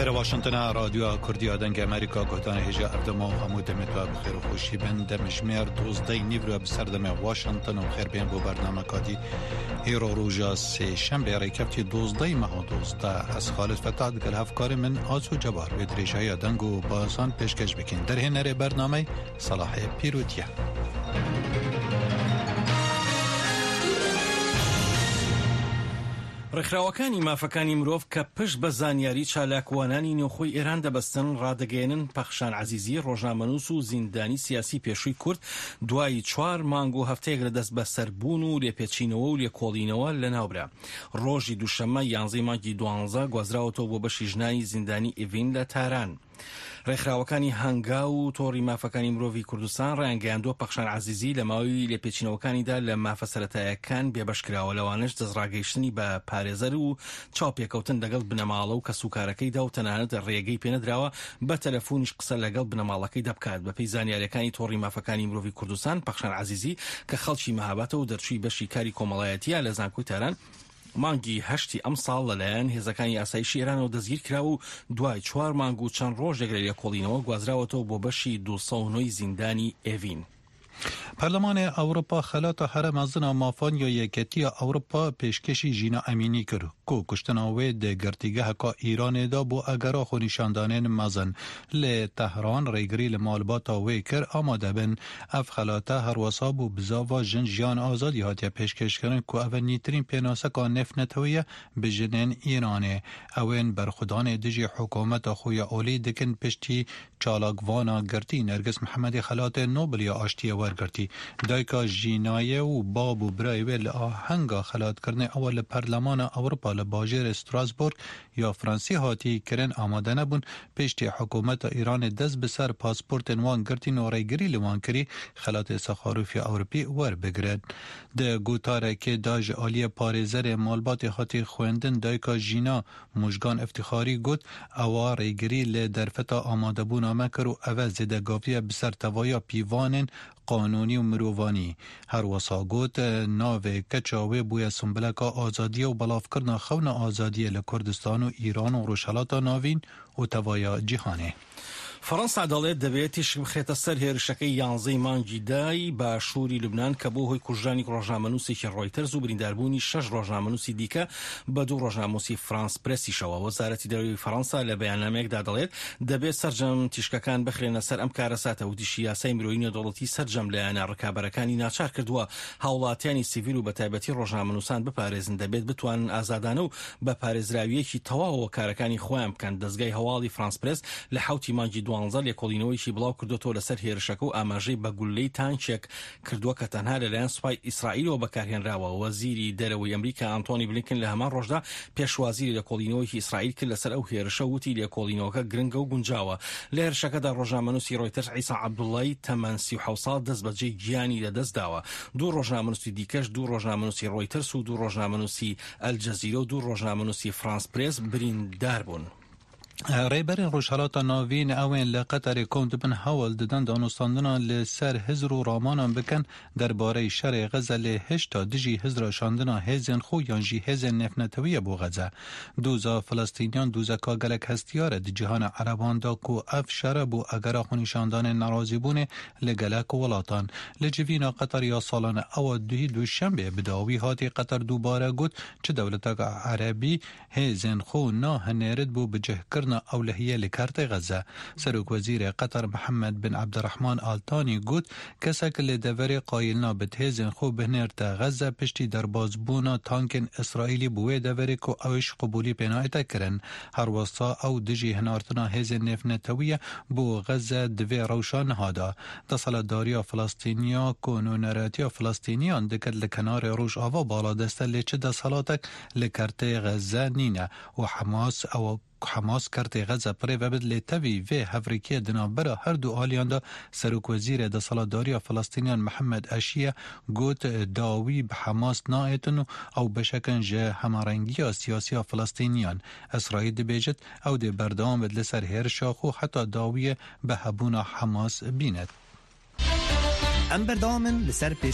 Êre Washington a Radyoya Kurdî ya Dengê Amerîka guhdanê hêja ev dema û hemû demê te bi xêr û xweşî bin. Demjimêr dozdeh nîvro bi ser demê Washington û xêr bên bo bernameka dî. Îro roja sêşembê rêkeftî dozdeh meha dozdeh ez Xalid Fetah digel hevkarê min Aso Cebar wê dirêjahiya deng û bazan pêşkeş bikîn. Derhênerê bernameyê Selahê Pîrût ye. ڕێکخراوەکانی مافەکانی مرۆڤ کە پشت بە زانیاری چالاکوانانی نێوخۆی ئێران دەبەستن، ڕادەگەیەنن پەخشان عەزیزی، ڕۆژنامەنووس و زیندانی سیاسی پێشووی کورد، دوای چوار مانگ و هەفتەیەک لە دەستبەسەربوون و لێپێچینەوە و لێکۆڵینەوە لەناوبرا. ڕۆژی دووشەممە یانزەی مانگی دوانزە گوازراوەتەوە بۆ بەشی ژنانی زیندانی ئیڤین لە تاران. ڕێکخراوەکانی هەنگاو و تۆڕی مافەکانی مرۆڤی کوردستان ڕایانگەیاندووە، پەخشان عەزیزی لە ماوەی لێپێچینەوەکانیدا لە مافە سەرەتایەکان بێبەش کراوە، لەوانەش دەستڕاگەیشتنی بە پارێزەر و چاوپێکەوتن لەگەڵ بنەماڵە و کەسوکارەکەیدا و تەنانەت ڕێگەی پێنەدراوە بە تەلەفونیش قسە لەگەڵ بنەماڵەکەیدا بکات. بەپێی زانیارییەکانی تۆڕی مافەکانی مرۆڤی کوردستان، پەخشان عەزیزی کە خەڵکی مەهاباتە و دەرچووی بەشی کاری کۆمەڵایەتییە لە زانکۆی تاران، مانگی هەشتی ئەمساڵ لەلایەن هێزەکانی ئاسایشی ئێرانەوە دەستگیرکرا و دوای چوار مانگ و چەند ڕۆژێک لە لێکۆڵینەوە گوازراوەتەوە بۆ بەشی 209 ی زیندانی ئێڤین. پەرلەمانê Ewropa xelata here mezin a mafan ya Yeketiya Ewropa pêşkêşî Jîna Emînî kir ku kuştina wê di girtîgeheka Îranê de bû egera xwenîşandanên mezin. Lê Tehran rêgirî li malbata wê kir amade bin. Ev xelate her wisa bû bizava Jin Jiyan Azadî hatiye pêşkêşkirin ku ev e nîtirîn pênaseka nêvnetewî ye bi jinên Îranê. Ew ên berxwedanê dijî hikûmeta xwe ya olî dikin piştî çalakvana girtî Nergis Mihemedê xelatê Nobel ya Aştiyê wergirtî. Dayika Jînayê û bab û birayê wê li ahenga xelatkirinê ewa li Perlemana Ewropa li bajêrê Strasbourg ya Fransî hatî kirin amade nebûn, piştî hikûmeta Îranê dest bi ser pasportên wan girtîn û rêgirî li wan kirî xelatê Saxarov ya Ewropî werbigirin. Di gotarekê de ji aliyê parêzerê malbatê hatî xwendin dayika Jîna Mujgan Îftîxarî got, Ewa rêgirî li derfeta amadebûna me kir û eve zêdegaviye bi ser tevaya pîvanên qanûnî û mirovanî. Her wisa got, navê keça wê bûye simbileka azadiyê û belavkirina xewna azadiyê li Kurdistan û Îran û Rojhilata Navîn û tevaya cîhanê. فەڕەنسا دەڵێت دەبێت تیشک بخرێتە سەر هێرشەکەی یانزەی مانگی دە ی باشووری لوبنان کە بووە هۆی کوژرانی ڕۆژنامەنووسێکی ڕۆیتەرز و برینداربوونی شەش ڕۆژنامەنووسی دیکە بە دوو ڕۆژنامووسی فرانس پرێسیشەوە. وەزارەتی دەرەوەی فەڕەنسا لە بەیاننامەیەکدا دەڵێت دەبێت سەرجەم تیشکەکان بخرێنە سەر ئەم کارەساتە. وتیشی یاسای مرۆیی نێودەوڵەتی سەرجەم لایەنە ڕکابەرەکانی ناچار کردووە هاوڵاتیانی سیڤیل و بەتایبەتی ڕۆژنامەنووسان بپارێزن، دەبێت بتوانن ئازادانە و بە پارێزراوییەکی تەواوەوە کارەکانی خۆیان بکەن. دەزگای هەواڵی فرانس پرێس لە حەوتی مانگی دوانزە لێکۆڵینەوەیەکی بڵاوکردۆتەوە لەسەر هێرشەکە و ئاماژەی بە گوللەی تانکێک کردووە کە تەنها لەلایەن سوپای ئیسرائیلەوە بەکارهێنراوە. وەزیری دەرەوەی ئەمریکا ئانتۆنی بلینکن لە هەمان ڕۆژدا پێشوازی لە لێکۆڵینەوەیەکی ئیسرائیل کرد لەسەر ئەو هێرشە و وتی لێکۆڵینەوەکە گرنگە و گونجاوە. لە هێرشەکەدا ڕۆژنامەنووسی ڕۆیتەرز عیسا عەبدوڵای تەمەن 37 ساڵ دەستبەجێ گیانی لەدەستداوە. دوو ڕۆژنامەنووسی دیکەش دوو ڕۆژنامەنووسی ڕۆیتەرز و دوو ڕۆژنامەنووسی ئەلجەزیرە و دوو ڕۆژنامەنووسی فرانس پرێس بریندار بوون. Rêberên Rojhilata Navîn ew ên li Qeterê kom dibin hewl didin danûstandina li ser hizr û ramanan bikin derbarey şerê Xeze lê hişta dijî hizra şandina hêzên xwe yan jî hêzên nêvnetewî ye bo Xeze. Doza Filistîniyan dozeka gelek hestiyar e di cîhana Ereban de ku ev şere bû egera xwenîşandanên nerazîbûnê li gelek welatan. Li civîna Qeter ya salane ewa duhî duşembê bi dawî hatî Qeter dubare got çi dewleteke Erebî Hêzên xwe nahinêrit bo bicihkirina ewlehiyê li Kertê Xezze. Serokwezîrê Qeter Mihemed bin Ebdirehman Al Tanî got, Kesek li deverê qayil nabit hêzên xwe bihinêrte Xezze piştî derbasbûna tankên Îsraîlî bo wê deverê ku ewş qebûlî pê nayête kirin. Her wisa ew dijî hinartina hêzên nêvnetewî ye bo Xezze di vê rewşa niha de. Deselatdariya Filistîniya ku nûneratiya Filistîniyan dikir li kenarê Rojava baladest e lê çi deselatek Li Kertê Xezze nîne û Hemas ew Hemas Kertê Xezze birêve bid lê tevî vê hevrikiyê di navbera her du aliyan de Serokwezîrê Deselatdariya Filistîniyan Mihemed Eşiye got dawî bi Hemas naêtin û ew beşek in ji hemarengiya siyasî ya Filistîniyan. Îsraîl dibêjit ew dê berdewam bid li ser hêrişa xwe heta dawiyê bi hebûna Hemas bînet. Em berdewam in li ser pêş.